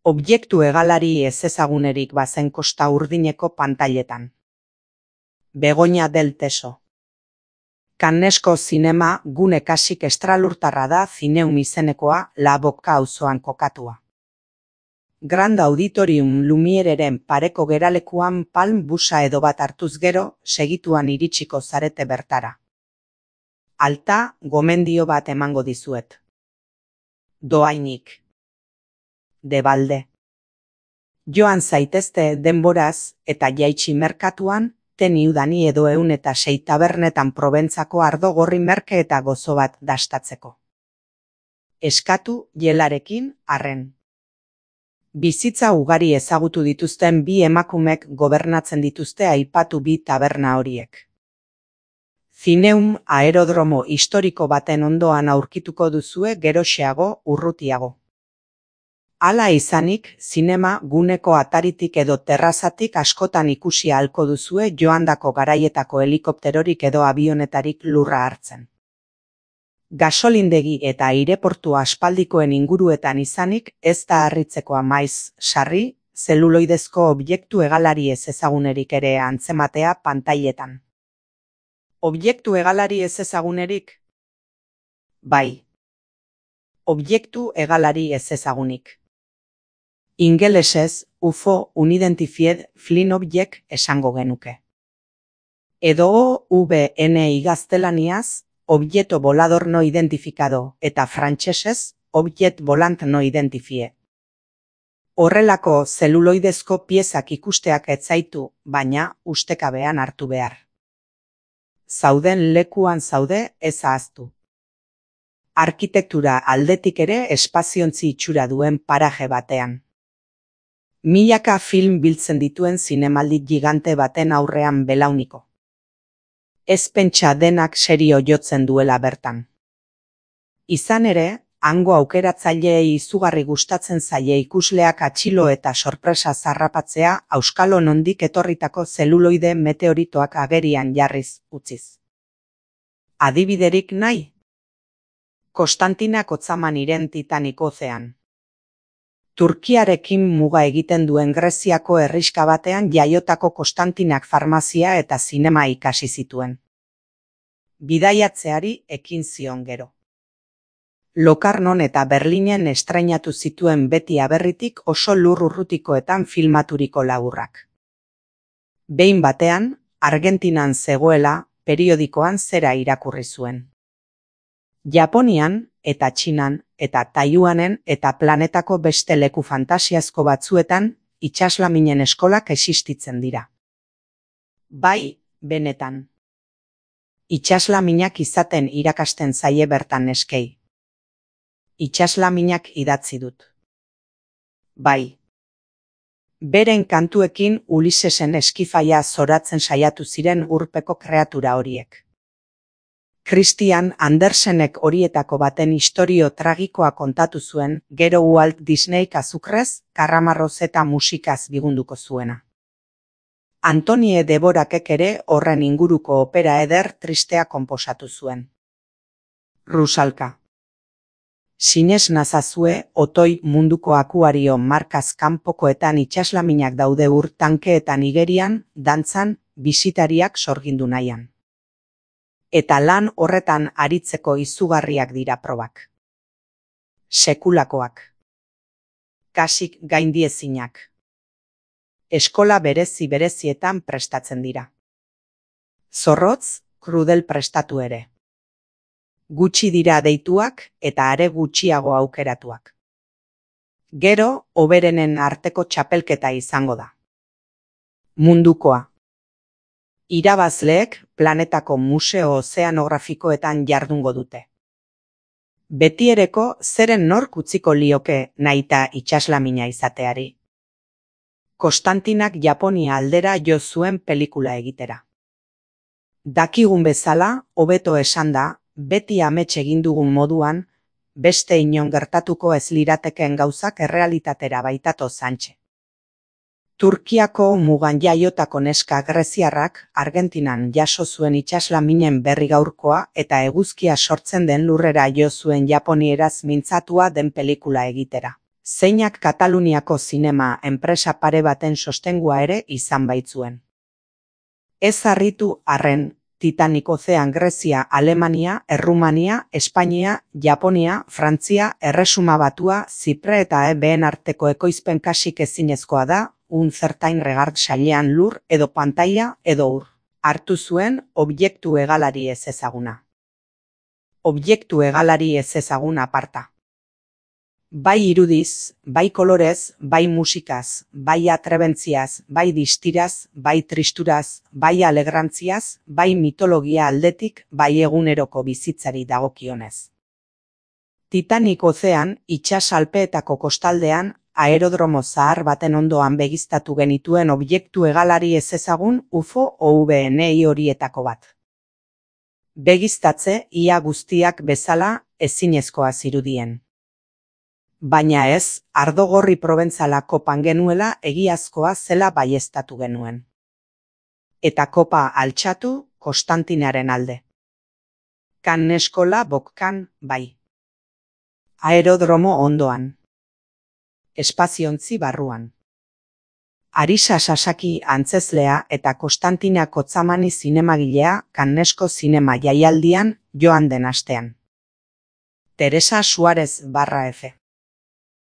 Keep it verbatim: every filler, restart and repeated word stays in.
Objektu hegalari ezezagunerik bazen Kosta Urdineko pantailetan. Begoña del Teso. Cannesko zinema gune kasik estralurtarra da Zineum izenekoa La Boca auzoan kokatua. Grand Auditorium Lumiereren pareko geralekuan palm busa edo bat hartuz gero, segituan iritsiko zarete bertara. Alta, gomendio bat emango dizuet. Doainik. De balde. Joan zaitezte denboraz eta jaitsi merkatuan, teni udani edo eun eta sei tabernetan Proventzako ardo gorri merke eta gozo bat dastatzeko. Eskatu jelarekin arren. Bizitza ugari ezagutu dituzten bi emakumek gobernatzen dituzte aipatu bi taberna horiek. Zineum aerodromo historiko baten ondoan aurkituko duzue geroxeago urrutiago. Hala izanik, zinema guneko ataritik edo terrazatik askotan ikusi ahalko duzue joandako garaietako helikopterorik edo avionetarik lurra hartzen. Gasolindegi eta aireportu aspaldikoen inguruetan izanik, ez da harritzekoa maiz, sarri, zeluloidezko objektu hegalari ez ezagunerik ere antzematea pantailetan. Objektu hegalari ez ezagunerik? Bai. Objektu hegalari ez ezagunik. Ingelesez, U F O Unidentified Flying Object esango genuke. Edo O V N gaztelaniaz, Objeto volador no identificado, eta frantsesez, Object volant no identifie. Horrelako zeluloidezko piezak ikusteak ez zaitu, baina ustekabean hartu behar. Zauden lekuan zaude ez ahaztu. Arkitektura aldetik ere espaziontzi itxura duen paraje batean. Milaka film biltzen dituen zinemaldi gigante baten aurrean belauniko. Ez pentsa denak serio jotzen duela bertan. Izan ere, hango aukeratzaileei izugarri gustatzen zaie ikusleak atxilo eta sorpresa zarrapatzea auskalo nondik etorritako zeluloide meteoritoak agerian jarriz utziz. Adibiderik nahi? Konstantinak Otzamaniren Titanic ozean. Turkiarekin muga egiten duen Greziako herriska batean jaiotako Konstantinak farmazia eta zinema ikasi zituen. Bidaiatzeari ekin zion gero. Lokarnon eta Berlinen estrainatu zituen beti aberritik oso lur urrutikoetan filmaturiko laburrak. Behin batean, Argentinan zegoela, periodikoan zera irakurri zuen. Japonian, eta Txinan, eta Taiwanen eta planetako beste leku fantasiazko batzuetan, itsaslaminen eskolak existitzen dira. Bai, benetan. Itsaslaminak izaten irakasten zaie bertan neskei. Itsaslaminak idatzi dut. Bai. Beren kantuekin Ulisesen eskifaia zoratzen saiatu ziren urpeko kreatura horiek. Christian Andersenek horietako baten istorio tragikoa kontatu zuen, gero Walt Disneyk azukrez, karramarroz eta musikaz bigunduko zuena. Antonie Deborakek ere horren inguruko opera eder tristea konposatu zuen. Rusalka. Sinez nazazue, otoi munduko akuario markaz kanpokoetan itsaslaminak daude ur tankeetan igerian, dantzan, bisitariak sorgindu nahian. Eta lan horretan aritzeko izugarriak dira probak. Sekulakoak. Kasik gaindiezinak. Eskola berezi berezietan prestatzen dira. Zorrotz, krudel prestatu ere. Gutxi dira deituak eta are gutxiago aukeratuak. Gero, hoberenen arteko txapelketa izango da. Mundukoa. Irabazleek planetako museo ozeanografikoetan jardungo dute. Betiereko zeren nork utziko lioke nahita itsaslamina izateari. Konstantinak Japonia aldera jo zuen pelikula egitera. Dakigun bezala, hobeto esanda, beti amets egin dugun moduan, beste inon gertatuko ez liratekeen gauzak errealitatera baitato zantxe. Turkiako mugan jaiotako neska greziarrak Argentinan jaso zuen itsaslaminen berri gaurkoa eta eguzkia sortzen den lurrera jo zuen japonieraz mintzatua den pelikula egitera. zeinak Kataluniako zinema enpresa pare baten sostengua ere izan baitzuen. Ez harritu arren, Titanic ozean Grezia, Alemania, Errumania, Espainia, Japonia, Frantzia, Erresuma Batua, Zipre eta ebeen arteko ekoizpen kasik ezinezkoa da, un zertain regard sailean lur edo pantaila edo ur. Hartu zuen objektu hegalari ez ezaguna. Objektu hegalari ez ezaguna aparta. Bai irudiz, bai kolorez, bai musikaz, bai atrebentziaz, bai distiraz, bai tristuraz, bai alegrantziaz, bai mitologia aldetik, bai eguneroko bizitzari dagokionez. Titanic ozean, itsas alpeetako kostaldean, aerodromo zahar baten ondoan begiztatu genituen objektu hegalari ez ezagun U F O O V N I horietako bat. Begiztatze ia guztiak bezala ezinezkoa zirudien. Baina ez, ardo gorri probentzala kopan genuela egiazkoa zela baieztatu genuen. Eta kopa altxatu Konstantinaren alde. Kan eskola bokkan bai. Aerodromo ondoan. Espaziontzi barruan. Arisa Sasaki antzezlea eta Konstantina Kotzamani zinemagilea Canneseko zinema jaialdian joan den astean. Teresa Suarez barra F.